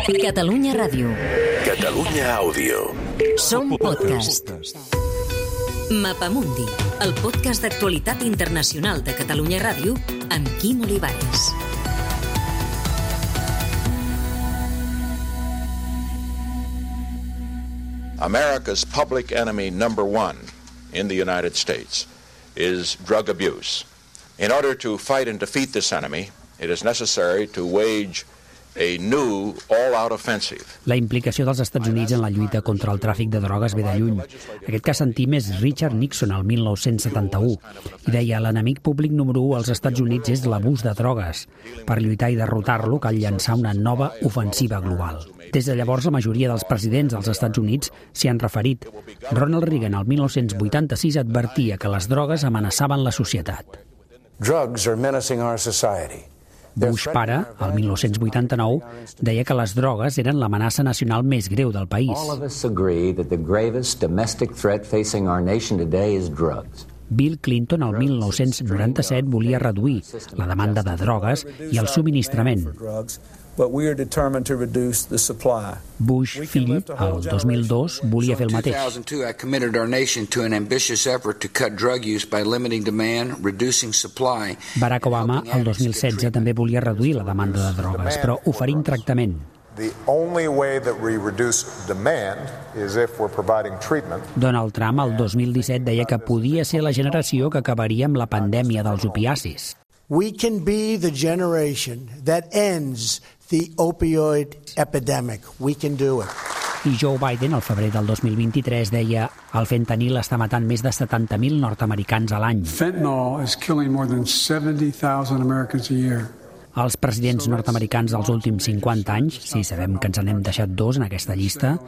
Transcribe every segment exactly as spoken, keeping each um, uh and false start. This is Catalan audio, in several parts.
Catalunya Ràdio. Catalunya Àudio. Som podcast. Mapamundi, el podcast d'actualitat internacional de Catalunya Ràdio amb Quim Olivares. America's public enemy number one in the United States is drug abuse. In order to fight and defeat this enemy, it is necessary to wage a new all-out offensive. La implicació dels Estats Units en la lluita contra el tràfic de drogues ve de lluny. Aquest que sentim és Richard Nixon el mil nou-cents setanta-u i deia: l'enemic públic número u als Estats Units és l'abús de drogues. Per lluitar i derrotar-lo cal llançar una nova ofensiva global. Des de llavors, la majoria dels presidents dels Estats Units s'hi han referit. Ronald Reagan el mil nou-cents vuitanta-sis advertia que les drogues amenaçaven la societat. Drugs are menacing our society. Bush pare, el mil nou-cents vuitanta-nou, deia que les drogues eren l'amenaça nacional més greu del país. All of us agree that the gravest domestic threat facing our nation today is drugs. Bill Clinton, el mil nou-cents noranta-set, volia reduir la demanda de drogues i el subministrament. Bush, fill, el dos mil dos, volia fer el mateix. Barack Obama, el dos mil setze, també volia reduir la demanda de drogues, però oferint tractament. Donald Trump, el dos mil disset, deia que podia ser la generació que acabaria amb la pandèmia dels opiacis. We can be the generation that ends the opioid epidemic. We can do it. I Joe Biden, al febrer del dos mil vint-i-tres, deia: el fentanil està matant més de setanta mil nord-americans a l'any. Fentanyl is killing more than seventy thousand Americans a year. Els presidents nord-americans dels últims cinquanta anys, sí, sabem que ens n'hem deixat dos en aquesta llista,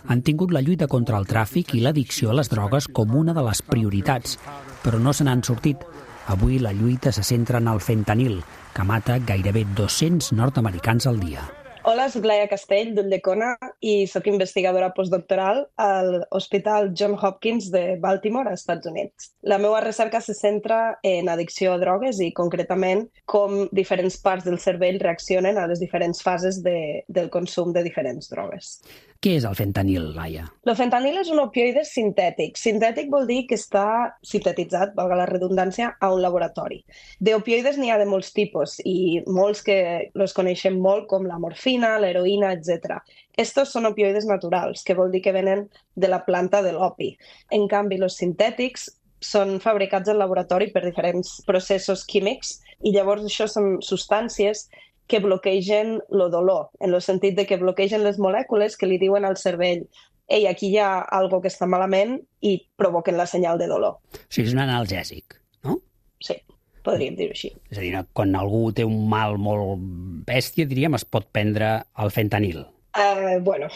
han tingut la lluita contra el tràfic i l'addicció a les drogues com una de les prioritats, però no se n'han sortit. Avui la lluita se centra en el fentanil, que mata gairebé dos-cents nord-americans al dia. Hola, soc Laia Castell, d'Ulldecona, i sóc investigadora postdoctoral a l'Hospital Johns Hopkins de Baltimore, als Estats Units. La meva recerca se centra en addicció a drogues i, concretament, com diferents parts del cervell reaccionen a les diferents fases de, del consum de diferents drogues. Què és el fentanil, Laia? El fentanil és un opioide sintètic. Sintètic vol dir que està sintetitzat, valga la redundància, a un laboratori. D'opioides n'hi ha de molts tipus i molts que els coneixem molt, com la morfina, l'heroïna, etcètera. Estos són opioides naturals, que vol dir que venen de la planta de l'opi. En canvi, els sintètics són fabricats al laboratori per diferents processos químics i llavors això són substàncies que bloquegen el dolor, en el sentit de que bloquegen les molècules que li diuen al cervell: ei, aquí hi ha alguna que està malament, i provoquen la senyal de dolor. O sigui, és un analgèsic, no? Sí, podríem dir-ho així. És a dir, quan algú té un mal molt bèstia, diríem, es pot prendre el fentanil. Uh, bueno,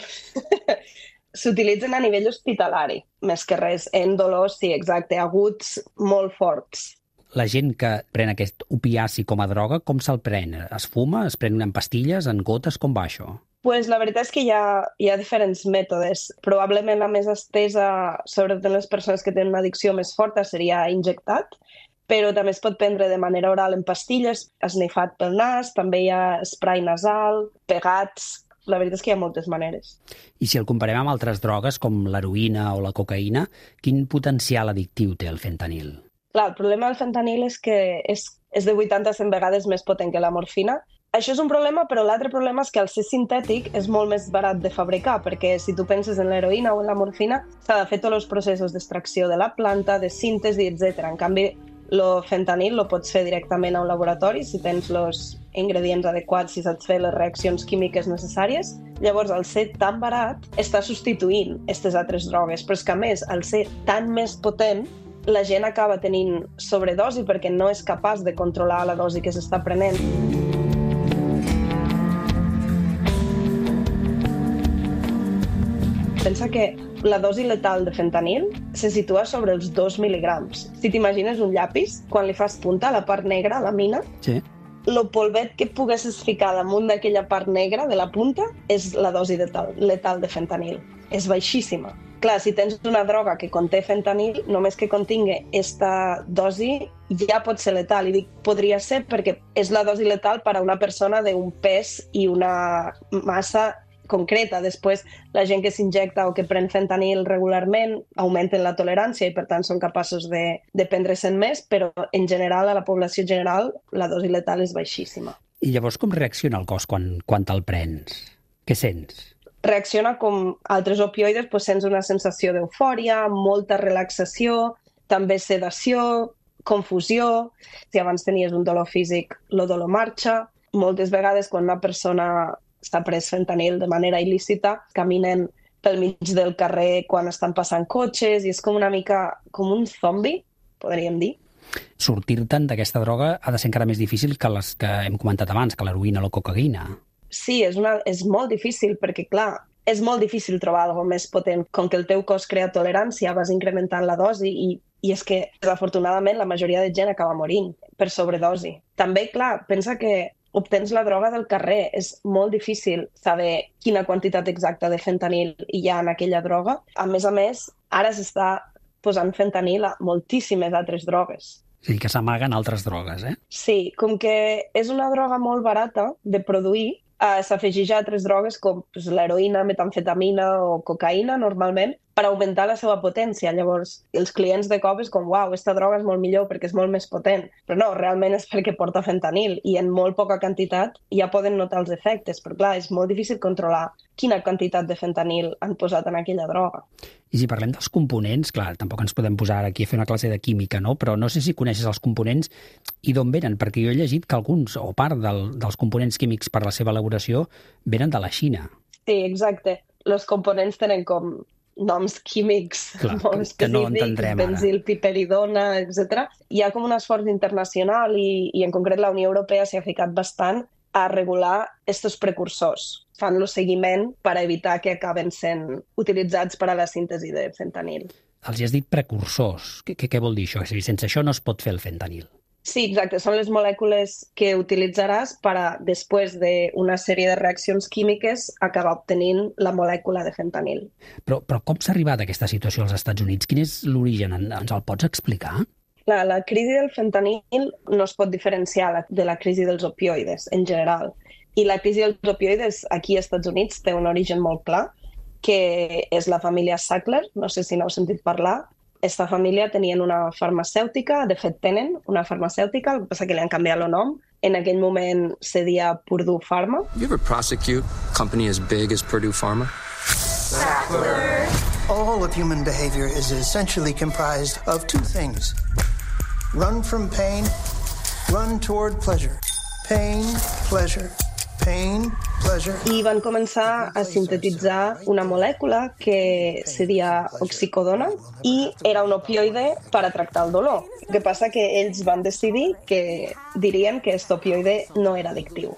s'utilitzen a nivell hospitalari, més que res, en dolors, sí, exacte, aguts molt forts. La gent que pren aquest opiaci com a droga, com se'l pren? Es fuma? Es pren en pastilles? En gotes? Com va això? Pues la veritat és que hi ha, hi ha diferents mètodes. Probablement la més estesa, sobretot en les persones que tenen una addicció més forta, seria injectat, però també es pot prendre de manera oral en pastilles, esnifat pel nas, també hi ha spray nasal, pegats. La veritat és que hi ha moltes maneres. I si el comparem amb altres drogues, com l'heroïna o la cocaïna, quin potencial addictiu té el fentanil? Clar, el problema del fentanil és que és, és de vuitanta a cent vegades més potent que la morfina. Això és un problema, però l'altre problema és que al ser sintètic és molt més barat de fabricar, perquè si tu penses en l'heroïna o en la morfina, s'ha de fer tots els processos d'extracció de la planta, de síntesi, etcètera. En canvi, el fentanil lo pots fer directament a un laboratori si tens els ingredients adequats, si saps fer les reaccions químiques necessàries. Llavors, al ser tan barat, està substituint aquestes altres drogues, però és que, a més, al ser tan més potent, la gent acaba tenint sobredosi perquè no és capaç de controlar la dosi que s'està prenent. Pensa que la dosi letal de fentanil se situa sobre els dos mil·ligrams. Si t'imagines un llapis, quan li fas punta a la part negra, a la mina, sí, el polvet que poguessis ficar damunt d'aquella part negra de la punta és la dosi letal, letal de fentanil. És baixíssima. Clar, si tens una droga que conté fentanil, només que contingui aquesta dosi ja pot ser letal. I dic podria ser perquè és la dosi letal per a una persona d'un pes i una massa concreta. Després, la gent que s'injecta o que pren fentanil regularment augmenten la tolerància i, per tant, són capaços de, de prendre-se'n més, però, en general, a la població general, la dosi letal és baixíssima. I llavors com reacciona el cos quan, quan te'l prens? Què sents? Reacciona com altres opioides, doncs sents una sensació d'eufòria, molta relaxació, també sedació, confusió. Si abans tenies un dolor físic, el dolor marxa. Moltes vegades, quan una persona s'ha pres fentanil de manera il·lícita, caminen pel mig del carrer quan estan passant cotxes i és com una mica com un zombi, podríem dir. Sortir-te'n d'aquesta droga ha de ser encara més difícil que les que hem comentat abans, que l'heroïna o la cocaïna. Sí, és, una, és molt difícil perquè, clar, és molt difícil trobar alguna més potent. Com que el teu cos crea tolerància, vas incrementant la dosi i, i és que, desafortunadament, la majoria de gent acaba morint per sobredosi. També, clar, pensa que obtens la droga del carrer. És molt difícil saber quina quantitat exacta de fentanil hi ha en aquella droga. A més a més, ara s'està posant fentanil a moltíssimes altres drogues. És a dir, que s'amaguen altres drogues, eh? Sí, com que és una droga molt barata de produir, eh, s'afegeix a altres drogues com pues, l'heroïna, metamfetamina o cocaïna, normalment, per augmentar la seva potència. Llavors, els clients de cop és com, uau, aquesta droga és molt millor perquè és molt més potent. Però no, realment és perquè porta fentanil i en molt poca quantitat ja poden notar els efectes. Però clar, és molt difícil controlar quina quantitat de fentanil han posat en aquella droga. I si parlem dels components, clar, tampoc ens podem posar aquí a fer una classe de química, no? Però no sé si coneixes els components i d'on venen, perquè jo he llegit que alguns, o part del, dels components químics per la seva elaboració, venen de la Xina. Sí, exacte. Els components tenen com noms químics Clar, molt específics, que no entendrem ara. Benzil, piperidona, etcètera. Hi ha com un esforç internacional i, i en concret la Unió Europea s'hi ha ficat bastant a regular aquests precursors. Fan el seguiment per evitar que acaben sent utilitzats per a la síntesi de fentanil. Els has dit precursors. Què, què vol dir això? És a dir, sense això no es pot fer el fentanil. Sí, exacte. Són les molècules que utilitzaràs per a, després d'una sèrie de reaccions químiques, acabar obtenint la molècula de fentanil. Però, però com s'ha arribat a aquesta situació als Estats Units? Quin és l'origen? Ens el pots explicar? La, la crisi del fentanil no es pot diferenciar de la crisi dels opioides, en general. I la crisi dels opioides aquí als Estats Units té un origen molt clar, que és la família Sackler, no sé si n'heu sentit parlar. Esta família tenien una farmacèutica, de fet tenen una farmacèutica, el que passa que li han canviat el nom. En aquell moment se deia Purdue Pharma. You ever prosecute a company as big as Purdue Pharma? Sackler. All of human behavior is essentially comprised of two things. Run from pain, run toward pleasure. Pain, pleasure. Pain, pleasure. I van començar a sintetitzar una molècula que seria oxicodona i era un opioide per a tractar el dolor. El que passa que ells van decidir que dirien que aquest opioide no era addictiu.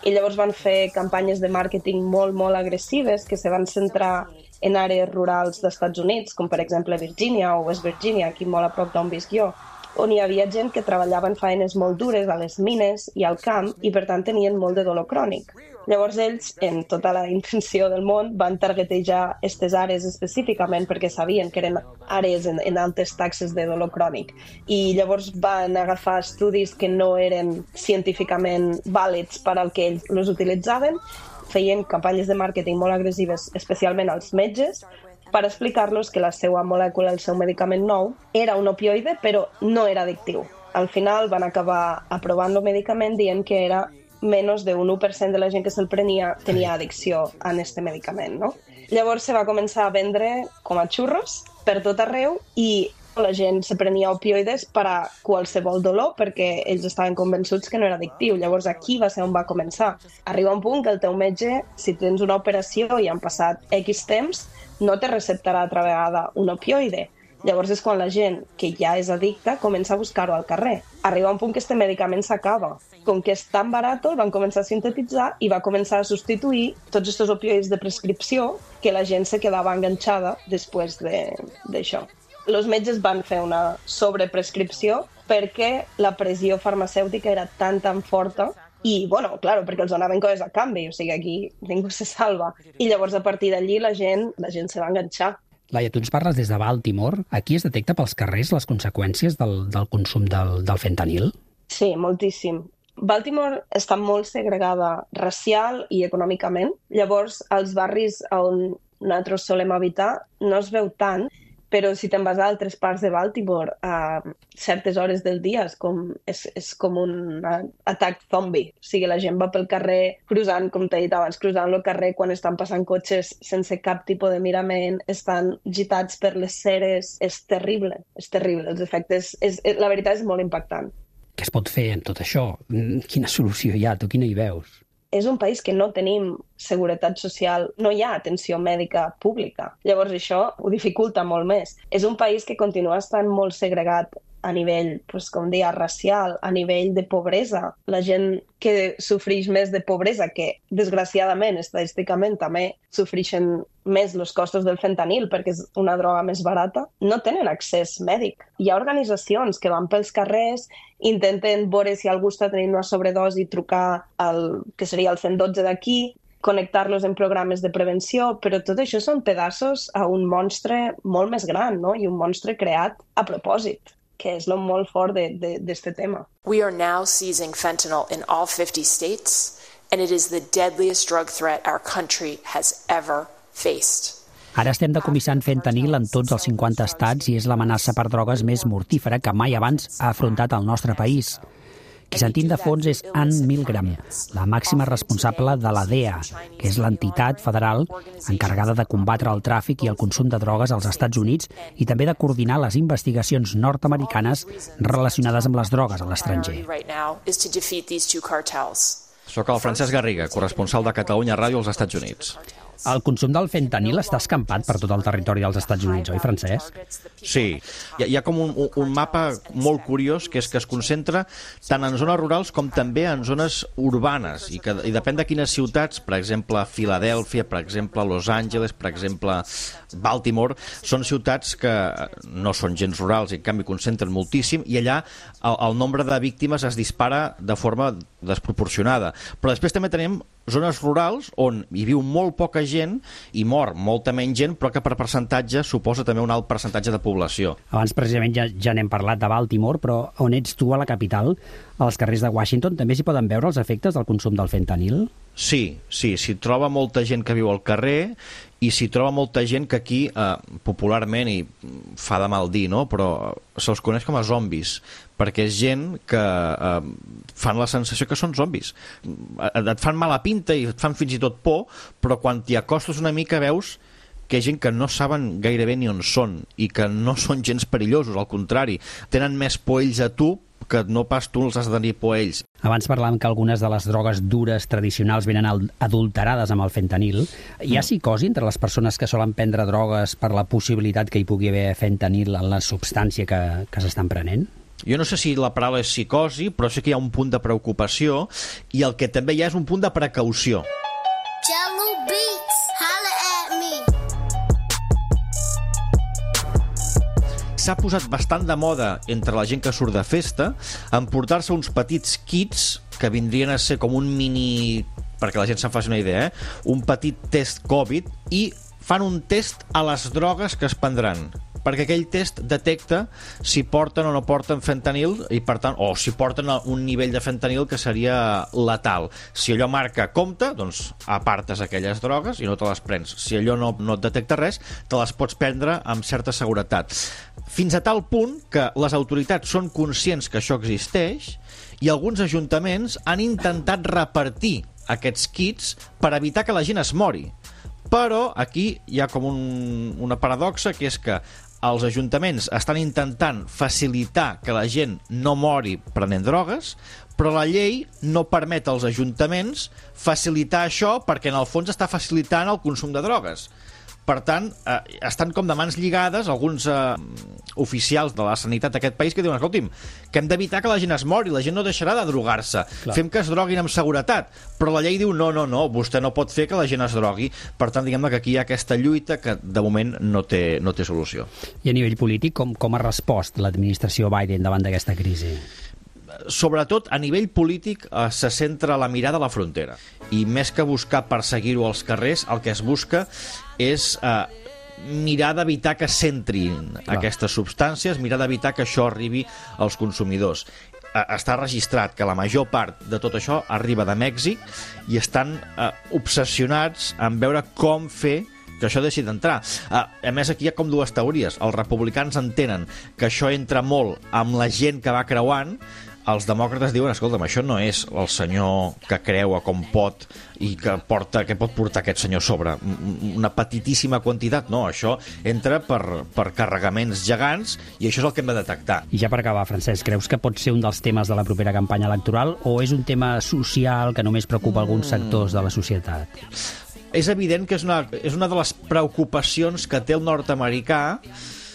I llavors van fer campanyes de màrqueting molt, molt agressives que se van centrar en àrees rurals dels Estats Units, com per exemple Virgínia o West Virginia, aquí molt a prop d'on visc jo, on hi havia gent que treballava en feines molt dures a les mines i al camp i, per tant, tenien molt de dolor crònic. Llavors ells, en tota la intenció del món, van targetejar aquestes àrees específicament perquè sabien que eren àrees en, en altes taxes de dolor crònic. I llavors van agafar estudis que no eren científicament vàlids per al que ells els utilitzaven, feien campanyes de màrqueting molt agressives, especialment als metges, per explicar-los que la seva molècula, el seu medicament nou, era un opioide, però no era addictiu. Al final van acabar aprovant el medicament dient que era menys d'un u per cent de la gent que se'l prenia tenia addicció a aquest medicament, no? Llavors se va començar a vendre com a xurros per tot arreu i la gent se prenia opioides per a qualsevol dolor perquè ells estaven convençuts que no era addictiu. Llavors aquí va ser on va començar. Arriba un punt que el teu metge, si tens una operació i han passat X temps, no te receptarà altra vegada un opioide. Llavors és quan la gent que ja és addicta comença a buscar-ho al carrer. Arriba un punt que este medicament s'acaba. Com que és tan barat, el van començar a sintetitzar i va començar a substituir tots aquests opioides de prescripció que la gent se quedava enganxada després d'això. Els metges van fer una sobreprescripció perquè la pressió farmacèutica era tan, tan forta i, bueno, claro, perquè els donaven coses a canvi, o sigui, aquí ningú se salva. I llavors, a partir d'allí, la gent, la gent se va enganxar. Laia, tu ens parles des de Baltimore. Aquí es detecta pels carrers les conseqüències del, del consum del, del fentanil? Sí, moltíssim. Baltimore està molt segregada racial i econòmicament. Llavors, als barris on nosaltres solem habitar no es veu tant, però si te'n vas a altres parts de Baltimore a certes hores del dia és com, és, és com un atac zombi. O sigui, la gent va pel carrer cruzant, com t'he dit abans, cruzant el carrer quan estan passant cotxes sense cap tipus de mirament, estan gitats per les ceres. És terrible, és terrible. Els efectes, és, la veritat és molt impactant. Què es pot fer amb tot això? Quina solució hi ha? Tu quina hi veus? És un país que no tenim seguretat social, no hi ha atenció mèdica pública. Llavors això ho dificulta molt més. És un país que continua estant molt segregat a nivell, pues, com dia, racial, a nivell de pobresa. La gent que sofreix més de pobresa, que desgraciadament, estadísticament, també sofreixen més els costos del fentanil perquè és una droga més barata, no tenen accés mèdic. Hi ha organitzacions que van pels carrers, intenten veure si algú està tenint una sobredosi, trucar al que seria el cent dotze d'aquí, connectar-los en programes de prevenció, però tot això són pedaços a un monstre molt més gran, no? I un monstre creat a propòsit, que és el molt fort d'aquest tema. We are now seizing fentanyl in all fifty states, and it is the deadliest drug threat our country has ever faced. Ara estem decomissant fentanil en tots els cinquanta estats i és l'amenaça per drogues més mortífera que mai abans ha afrontat el nostre país. Qui sentim de fons és Ann Milgram, la màxima responsable de la D E A, que és l'entitat federal encarregada de combatre el tràfic i el consum de drogues als Estats Units i també de coordinar les investigacions nord-americanes relacionades amb les drogues a l'estranger. Soc el Francesc Garriga, corresponsal de Catalunya Ràdio als Estats Units. El consum del fentanil està escampat per tot el territori dels Estats Units, oi, Francesc? Sí. Hi ha, hi ha com un, un mapa molt curiós, que és que es concentra tant en zones rurals com també en zones urbanes, i, que, i depèn de quines ciutats, per exemple, Filadèlfia, per exemple, Los Angeles, per exemple, Baltimore, són ciutats que no són gens rurals i en canvi concentren moltíssim, i allà el, el nombre de víctimes es dispara de forma desproporcionada. Però després també tenim zones rurals on hi viu molt poca gent i mor molta menys gent, però que per percentatge suposa també un alt percentatge de població. Abans precisament ja, ja n'hem parlat de Baltimore, però on ets tu a la capital, als carrers de Washington, també s'hi poden veure els efectes del consum del fentanil? Sí, sí, s'hi troba molta gent que viu al carrer i s'hi troba molta gent que aquí, eh, popularment, i fa de mal dir, no? Però se'ls coneix com a zombis, perquè és gent que eh, fan la sensació que són zombis. Et fan mala pinta i et fan fins i tot por, però quan t'hi acostes una mica veus que hi ha gent que no saben gairebé ni on són i que no són gens perillosos, al contrari, tenen més por ells a tu que no pas tu els has de tenir por a ells. Abans parlàvem que algunes de les drogues dures tradicionals venen adulterades amb el fentanil. Hi ha psicosi entre les persones que solen prendre drogues per la possibilitat que hi pugui haver fentanil en la substància que, que s'estan prenent? Jo no sé si la paraula és psicosi, però sé que hi ha un punt de preocupació i el que també hi ha és un punt de precaució. Jello Beats, holla at me. S'ha posat bastant de moda entre la gent que surt de festa emportar-se uns petits kits que vindrien a ser com un mini, perquè la gent se'n faci una idea, eh? un petit test Covid, i fan un test a les drogues que es prendran, perquè aquell test detecta si porten o no porten fentanil i per tant, o si porten un nivell de fentanil que seria letal. Si allò marca compte, doncs apartes aquelles drogues i no te les prens. Si allò no, no et detecta res, te les pots prendre amb certa seguretat. Fins a tal punt que les autoritats són conscients que això existeix i alguns ajuntaments han intentat repartir aquests kits per evitar que la gent es mori. Però aquí hi ha com un, una paradoxa, que és que els ajuntaments estan intentant facilitar que la gent no mori prenent drogues, però la llei no permet als ajuntaments facilitar això perquè en el fons està facilitant el consum de drogues. Per tant, eh, estan com de mans lligades alguns eh, oficials de la sanitat d'aquest país que diuen, escolti'm, que hem d'evitar que la gent es mori, la gent no deixarà de drogar-se, Clar. fem que es droguin amb seguretat, però la llei diu no, no, no, vostè no pot fer que la gent es drogui. Per tant, diguem-ne que aquí hi ha aquesta lluita que de moment no té, no té solució. I a nivell polític, com, com ha respost l'administració Biden davant d'aquesta crisi? Sobretot a nivell polític eh, se centra la mirada a la frontera i més que buscar perseguir-ho als carrers, el que es busca és eh, mirar d'evitar que s'entrin Clar. aquestes substàncies, mirar d'evitar que això arribi als consumidors. està registrat que la major part de tot això arriba de Mèxic i estan eh, obsessionats en veure com fer que això deixi d'entrar. Uh, a més, aquí hi ha com dues teories. Els republicans entenen que això entra molt amb la gent que va creuant. Els demòcrates diuen, escolta'm, això no és el senyor que creua com pot i que porta, que pot portar aquest senyor sobre una petitíssima quantitat. No, això entra per, per carregaments gegants i això és el que hem de detectar. I ja per acabar, Francesc, creus que pot ser un dels temes de la propera campanya electoral o és un tema social que només preocupa alguns sectors de la societat? És evident que és una, és una de les preocupacions que té el nord-americà,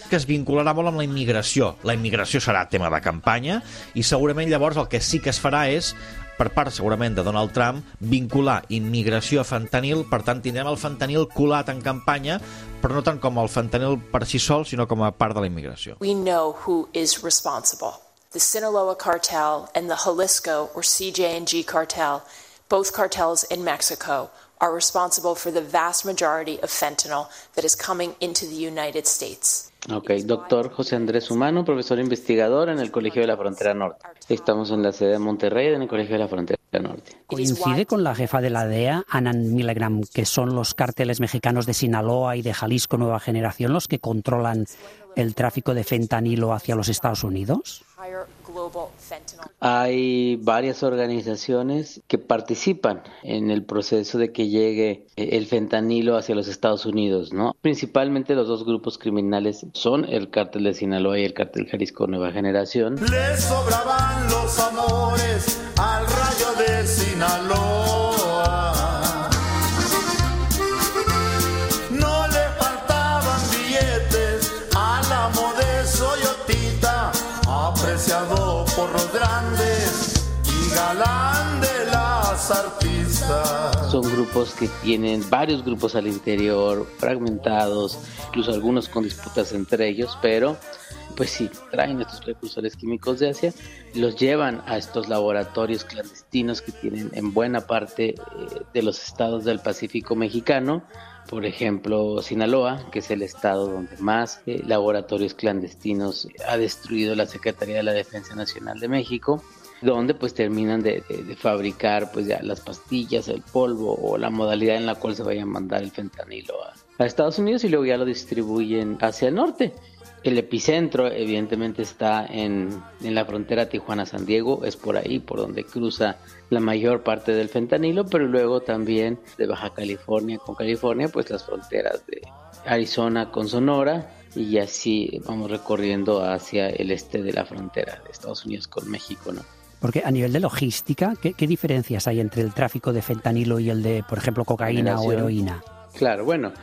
que es vincularà molt amb la immigració. La immigració serà tema de campanya i segurament llavors el que sí que es farà és, per part segurament de Donald Trump, vincular immigració a fentanil. Per tant, tindrem el fentanil colat en campanya, però no tant com el fentanil per si sol, sinó com a part de la immigració. We know who is responsible. The Sinaloa cartel and the Jalisco or C J and G cartel, both cartels in Mexico, are responsible for the vast majority of fentanyl that is coming into the United States. Ok, doctor José Andrés Humano, profesor investigador en el Colegio de la Frontera Norte. Estamos en la sede de Monterrey, en el Colegio de la Frontera Norte. ¿Coincide con la jefa de la D E A, Anna Milgram, que son los cárteles mexicanos de Sinaloa y de Jalisco Nueva Generación los que controlan el tráfico de fentanilo hacia los Estados Unidos? Hay varias organizaciones que participan en el proceso de que llegue el fentanilo hacia los Estados Unidos, ¿no? Principalmente los dos grupos criminales son el cártel de Sinaloa y el cártel Jalisco Nueva Generación. Les sobraban los amores al rayo de Sinaloa. No le faltaban billetes al amo de Soyotita, apreciado por los grandes y galán de las artistas. Son grupos que tienen varios grupos al interior, fragmentados, incluso algunos con disputas entre ellos, pero pues sí, traen estos precursores químicos de Asia, los llevan a estos laboratorios clandestinos que tienen en buena parte eh, de los estados del Pacífico mexicano. Por ejemplo, Sinaloa, que es el estado donde más eh, laboratorios clandestinos ha destruido la Secretaría de la Defensa Nacional de México, donde pues terminan de, de, de fabricar pues ya las pastillas, el polvo o la modalidad en la cual se vaya a mandar el fentanilo a, a Estados Unidos y luego ya lo distribuyen hacia el norte. El epicentro evidentemente está en, en la frontera Tijuana-San Diego, es por ahí por donde cruza la mayor parte del fentanilo, pero luego también de Baja California con California, pues las fronteras de Arizona con Sonora, y así vamos recorriendo hacia el este de la frontera de Estados Unidos con México, ¿no? Porque a nivel de logística, ¿qué, qué diferencias hay entre el tráfico de fentanilo y el de, por ejemplo, cocaína o heroína? Claro, bueno,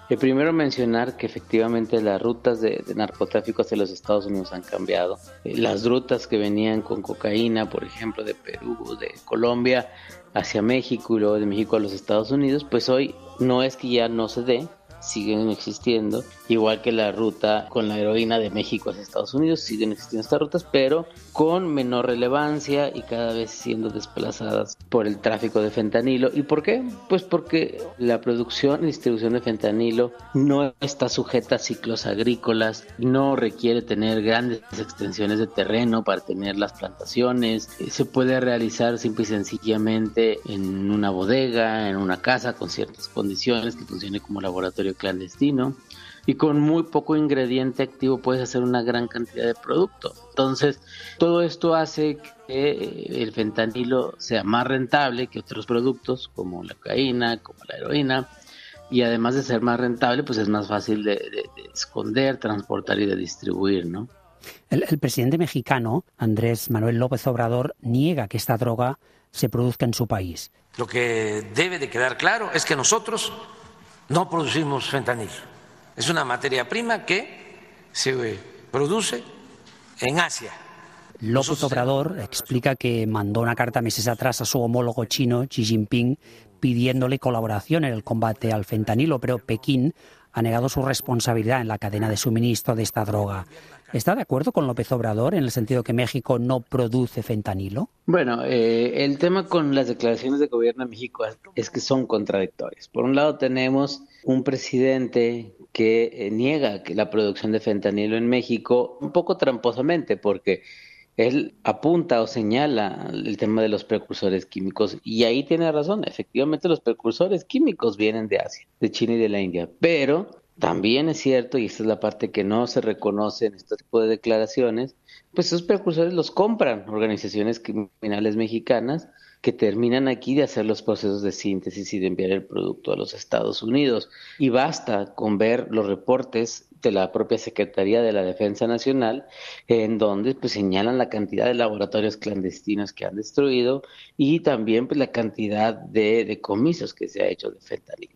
eh, primero mencionar que efectivamente las rutas de, de narcotráfico hacia los Estados Unidos han cambiado. Eh, las rutas que venían con cocaína, por ejemplo, de Perú, de Colombia, hacia México y luego de México a los Estados Unidos, pues hoy no es que ya no se dé, siguen existiendo, igual que la ruta con la heroína de México hacia Estados Unidos, siguen existiendo estas rutas, pero con menor relevancia y cada vez siendo desplazadas por el tráfico de fentanilo. ¿Y por qué? Pues porque la producción y distribución de fentanilo no está sujeta a ciclos agrícolas, no requiere tener grandes extensiones de terreno para tener las plantaciones, se puede realizar simple y sencillamente en una bodega, en una casa con ciertas condiciones, que funcione como laboratorio clandestino, y con muy poco ingrediente activo puedes hacer una gran cantidad de producto. Entonces, todo esto hace que el fentanilo sea más rentable que otros productos como la cocaína, como la heroína, y además de ser más rentable, pues es más fácil de, de, de esconder, transportar y de distribuir, ¿no? El, el presidente mexicano, Andrés Manuel López Obrador, niega que esta droga se produzca en su país. Lo que debe de quedar claro es que nosotros no producimos fentanilo. Es una materia prima que se produce en Asia. López Obrador explica que mandó una carta meses atrás a su homólogo chino, Xi Jinping, pidiéndole colaboración en el combate al fentanilo, pero Pekín ha negado su responsabilidad en la cadena de suministro de esta droga. ¿Está de acuerdo con López Obrador en el sentido que México no produce fentanilo? Bueno, eh, el tema con las declaraciones de gobierno de México es que son contradictorias. Por un lado tenemos un presidente que eh, niega que la producción de fentanilo en México, un poco tramposamente, porque él apunta o señala el tema de los precursores químicos y ahí tiene razón, efectivamente los precursores químicos vienen de Asia, de China y de la India, pero también es cierto, y esta es la parte que no se reconoce en este tipo de declaraciones, pues esos precursores los compran organizaciones criminales mexicanas que terminan aquí de hacer los procesos de síntesis y de enviar el producto a los Estados Unidos. Y basta con ver los reportes de la propia Secretaría de la Defensa Nacional, en donde pues señalan la cantidad de laboratorios clandestinos que han destruido y también pues la cantidad de decomisos que se ha hecho de fentanilo.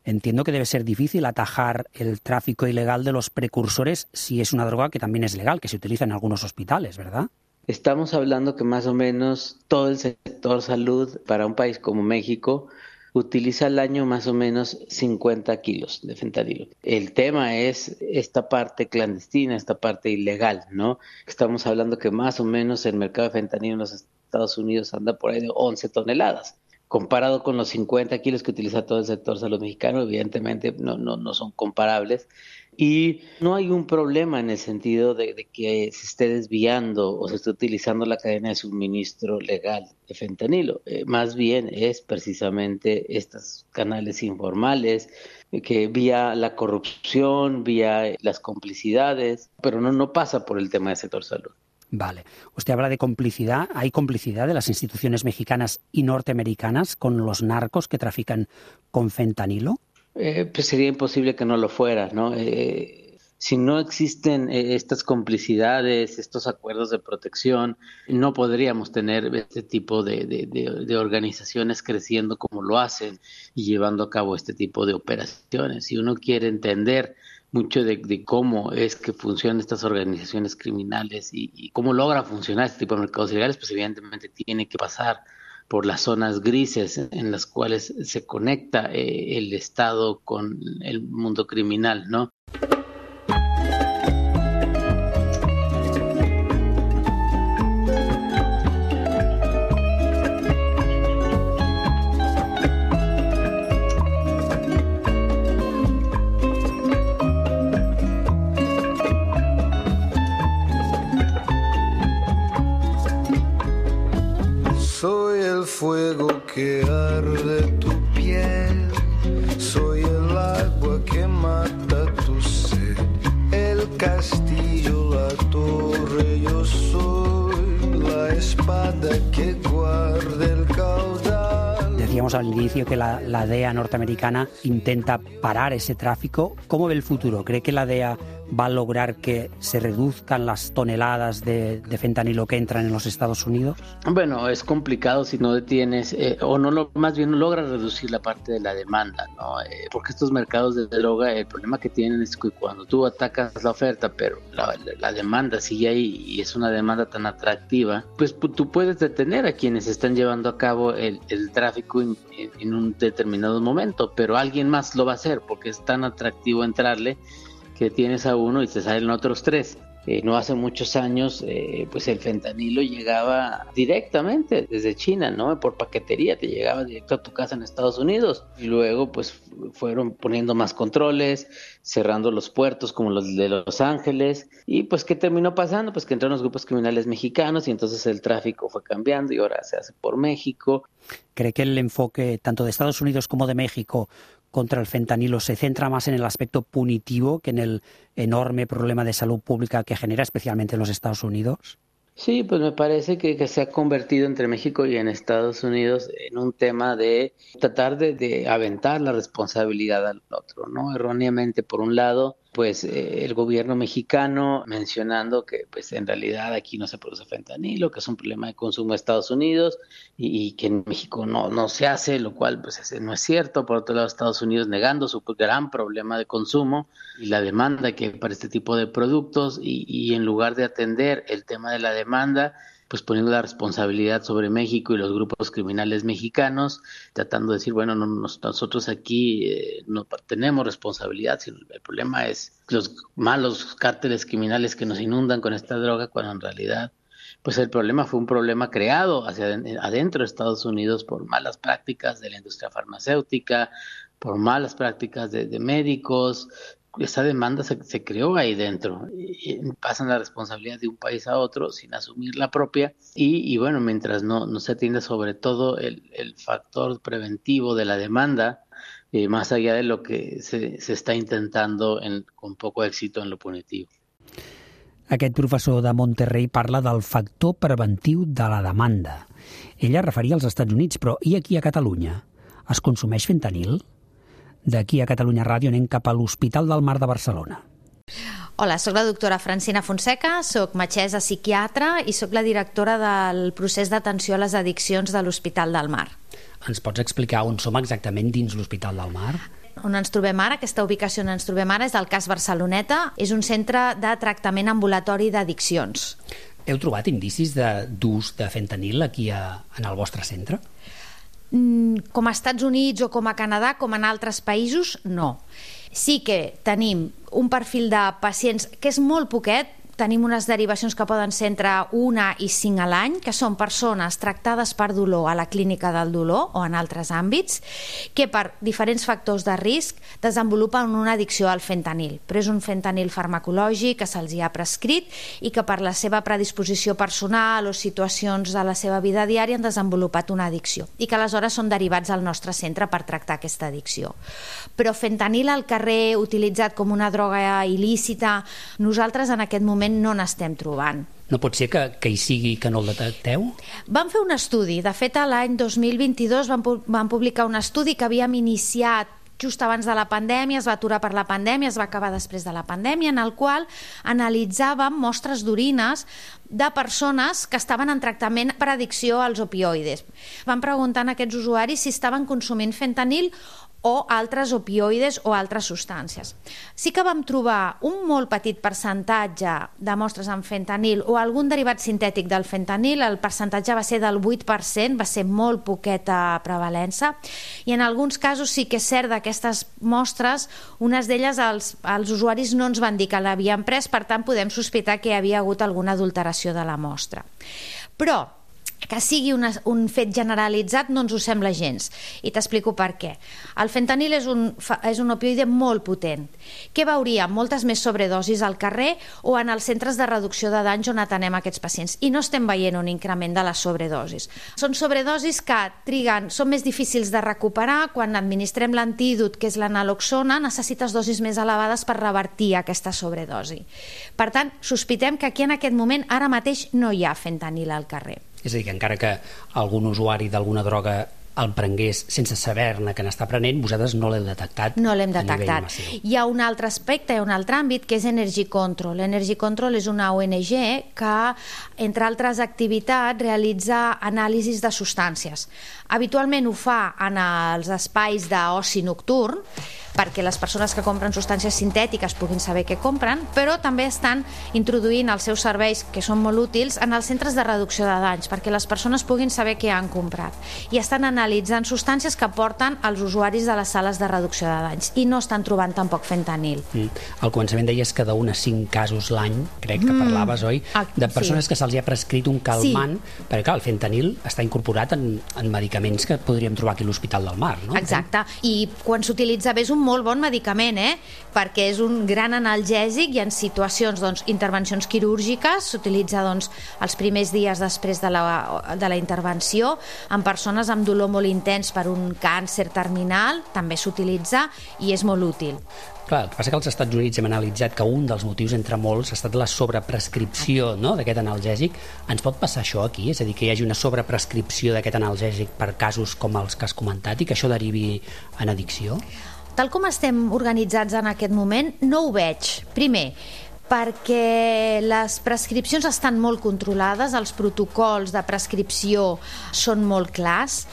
Entiendo que debe ser difícil atajar el tráfico ilegal de los precursores si es una droga que también es legal, que se utiliza en algunos hospitales, ¿verdad? Estamos hablando que más o menos todo el sector salud para un país como México utiliza al año más o menos cincuenta kilos de fentanilo. El tema es esta parte clandestina, esta parte ilegal, ¿no? Estamos hablando que más o menos el mercado de fentanilo en los Estados Unidos anda por ahí de once toneladas. Comparado con los cincuenta kilos que utiliza todo el sector salud mexicano, evidentemente no, no, no son comparables. Y no hay un problema en el sentido de, de que se esté desviando o se esté utilizando la cadena de suministro legal de fentanilo. Eh, más bien es precisamente estos canales informales eh, que vía la corrupción, vía las complicidades, pero no, no pasa por el tema del sector salud. Vale. Usted habla de complicidad. ¿Hay complicidad de las instituciones mexicanas y norteamericanas con los narcos que trafican con fentanilo? Eh, pues sería imposible que no lo fuera, ¿no? Eh, si no existen eh, estas complicidades, estos acuerdos de protección, no podríamos tener este tipo de, de, de, de organizaciones creciendo como lo hacen y llevando a cabo este tipo de operaciones. Si uno quiere entender mucho de, de cómo es que funcionan estas organizaciones criminales y, y cómo logra funcionar este tipo de mercados ilegales, pues evidentemente tiene que pasar por las zonas grises en las cuales se conecta eh, el Estado con el mundo criminal, ¿no? Soy el fuego que arde tu piel, soy el agua que mata tu sed, el castillo, la torre, yo soy la espada que guarda el caudal. Decíamos al inicio que la, la D E A norteamericana intenta parar ese tráfico. ¿Cómo ve el futuro? ¿Cree que la D E A va a lograr que se reduzcan las toneladas de, de fentanilo que entran en los Estados Unidos? Bueno, es complicado si no detienes, eh, o no lo, más bien no logras reducir la parte de la demanda, ¿no? Eh, porque estos mercados de droga, el problema que tienen es que cuando tú atacas la oferta, pero la, la demanda sigue ahí y es una demanda tan atractiva, pues tú puedes detener a quienes están llevando a cabo el, el tráfico en, en un determinado momento, pero alguien más lo va a hacer porque es tan atractivo entrarle que tienes a uno y te salen otros tres. Eh, no hace muchos años, eh, pues el fentanilo llegaba directamente desde China, ¿no? Por paquetería, te llegaba directo a tu casa en Estados Unidos. Y luego, pues, fueron poniendo más controles, cerrando los puertos como los de Los Ángeles. Y, pues, ¿qué terminó pasando? Pues que entraron los grupos criminales mexicanos y entonces el tráfico fue cambiando y ahora se hace por México. ¿Cree que el enfoque tanto de Estados Unidos como de México contra el fentanilo se centra más en el aspecto punitivo que en el enorme problema de salud pública que genera, especialmente en los Estados Unidos? Sí, pues me parece que, que se ha convertido entre México y en Estados Unidos en un tema de tratar de, de aventar la responsabilidad al otro, ¿no? Erróneamente, por un lado, pues eh, el gobierno mexicano mencionando que pues en realidad aquí no se produce fentanilo, que es un problema de consumo de Estados Unidos y, y que en México no, no se hace, lo cual pues ese no es cierto. Por otro lado, Estados Unidos negando su gran problema de consumo y la demanda que hay para este tipo de productos y, y en lugar de atender el tema de la demanda, pues poniendo la responsabilidad sobre México y los grupos criminales mexicanos, tratando de decir, bueno, no, nosotros aquí eh, no tenemos responsabilidad, sino el problema es los malos cárteles criminales que nos inundan con esta droga, cuando en realidad pues el problema fue un problema creado hacia adentro de Estados Unidos por malas prácticas de la industria farmacéutica, por malas prácticas de, de médicos, esa demanda se, se creó ahí dentro. Y pasan la responsabilidad de un país a otro sin asumir la propia. Y, y bueno, mientras no, no se atiende sobre todo el, el factor preventivo de la demanda, eh, más allá de lo que se, se està intentando en, con poco éxito en lo punitivo. Aquest professor de Monterrey parla del factor preventiu de la demanda. Ella referia als Estats Units, però i aquí a Catalunya? Es consumeix fentanil? D'aquí a Catalunya Ràdio anem cap a l'Hospital del Mar de Barcelona. Hola, soc la doctora Francina Fonseca, soc metgessa psiquiatra i soc la directora del procés d'atenció a les addiccions de l'Hospital del Mar. Ens pots explicar on som exactament dins l'Hospital del Mar? On ens trobem ara, aquesta ubicació on ens trobem ara és el cas Barceloneta, és un centre de tractament ambulatori d'addiccions. Heu trobat indicis d'ús de, de fentanil aquí a, en el vostre centre? Com a Estats Units o com a Canadà, com en altres països, no. Sí que tenim un perfil de pacients que és molt poquet, tenim unes derivacions que poden ser entre una i cinc a l'any, que són persones tractades per dolor a la clínica del dolor o en altres àmbits, que per diferents factors de risc desenvolupen una addicció al fentanil. Però és un fentanil farmacològic que se'ls ha prescrit i que per la seva predisposició personal o situacions de la seva vida diària han desenvolupat una addicció i que aleshores són derivats al nostre centre per tractar aquesta addicció. Però fentanil al carrer utilitzat com una droga il·lícita, nosaltres en aquest moment no n'estem trobant. No pot ser que, que hi sigui que no el detecteu? Vam fer un estudi. De fet, l'any dos mil vint-i-dos vam, vam publicar un estudi que havíem iniciat just abans de la pandèmia, es va aturar per la pandèmia, es va acabar després de la pandèmia, en el qual analitzàvem mostres d'orines de persones que estaven en tractament per addicció als opioides. Vam preguntar a aquests usuaris si estaven consumint fentanil o altres opioides o altres substàncies. Sí que vam trobar un molt petit percentatge de mostres amb fentanil o algun derivat sintètic del fentanil, el percentatge va ser del vuit per cent, va ser molt poqueta prevalença, i en alguns casos sí que és cert d'aquestes mostres, unes d'elles els, els usuaris no ens van dir que l'havien pres, per tant podem sospitar que hi havia hagut alguna adulteració de la mostra. Però que sigui una, un fet generalitzat no ens ho sembla gens, i t'explico per què. El fentanil és un, és un opioide molt potent. Què veuríem? Moltes més sobredosis al carrer o en els centres de reducció de danys on atenem aquests pacients, i no estem veient un increment de les sobredosis. Són sobredosis que triguen, són més difícils de recuperar. Quan administrem l'antídot, que és la naloxona, necessites dosis més elevades per revertir aquesta sobredosi. Per tant, sospitem que aquí en aquest moment ara mateix no hi ha fentanil al carrer. És a dir, que encara que algun usuari d'alguna droga el prengués sense saber-ne que n'està prenent, vosaltres no l'heu detectat. No l'hem detectat. Hi ha un altre aspecte, hi ha un altre àmbit, que és Energy Control. Energy Control és una O N G que, entre altres activitats, realitza anàlisis de substàncies. Habitualment ho fa en els espais d'oci nocturn, perquè les persones que compren substàncies sintètiques puguin saber què compren, però també estan introduint els seus serveis, que són molt útils, en els centres de reducció de danys, perquè les persones puguin saber què han comprat. I estan analitzant substàncies que porten als usuaris de les sales de reducció de danys, i no estan trobant tampoc fentanil. Mm. Al començament deies que d'un a cinc casos l'any, crec que parlaves, mm. oi? De persones sí. que se'ls ha prescrit un calmant, sí. perquè clar, el fentanil està incorporat en, en medicaments que podríem trobar aquí a l'Hospital del Mar, no? Exacte, i quan s'utilitza bé és un molt bon medicament, eh? Perquè és un gran analgèsic i en situacions, doncs, intervencions quirúrgiques s'utilitza, doncs, els primers dies després de la, de la intervenció, en persones amb dolor molt intens per un càncer terminal també s'utilitza i és molt útil. Clar, el que passa que als Estats Units hem analitzat que un dels motius entre molts ha estat la sobreprescripció, no?, d'aquest analgèsic. Ens pot passar això aquí? És a dir, que hi hagi una sobreprescripció d'aquest analgèsic per casos com els que has comentat i que això derivi en addicció? Tal com estem organitzats en aquest moment, no ho veig. Primer, perquè les prescripcions estan molt controlades, els protocols de prescripció són molt clars.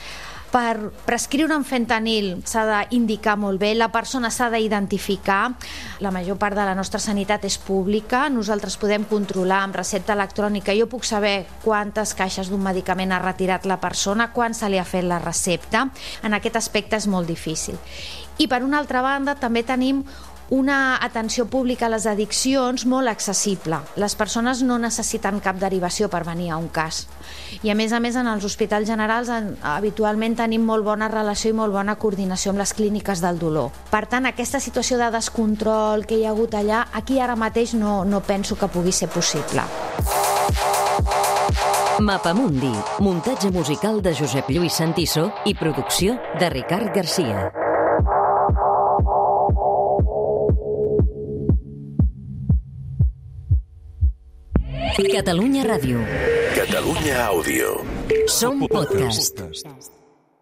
Per prescriure un fentanil s'ha d'indicar molt bé, la persona s'ha d'identificar, la major part de la nostra sanitat és pública, nosaltres podem controlar amb recepta electrònica, jo puc saber quantes caixes d'un medicament ha retirat la persona, quan se li ha fet la recepta, en aquest aspecte és molt difícil. I per una altra banda també tenim una atenció pública a les addiccions molt accessible. Les persones no necessiten cap derivació per venir a un cas. I a més a més en els hospitals generals en, habitualment tenim molt bona relació i molt bona coordinació amb les clíniques del dolor. Per tant, aquesta situació de descontrol que hi ha hagut allà, aquí ara mateix no, no penso que pugui ser possible. Mapamundi, muntatge musical de Josep Lluís Santiso i producció de Ricard Garcia. Catalunya Ràdio. Catalunya Àudio. Som podcast.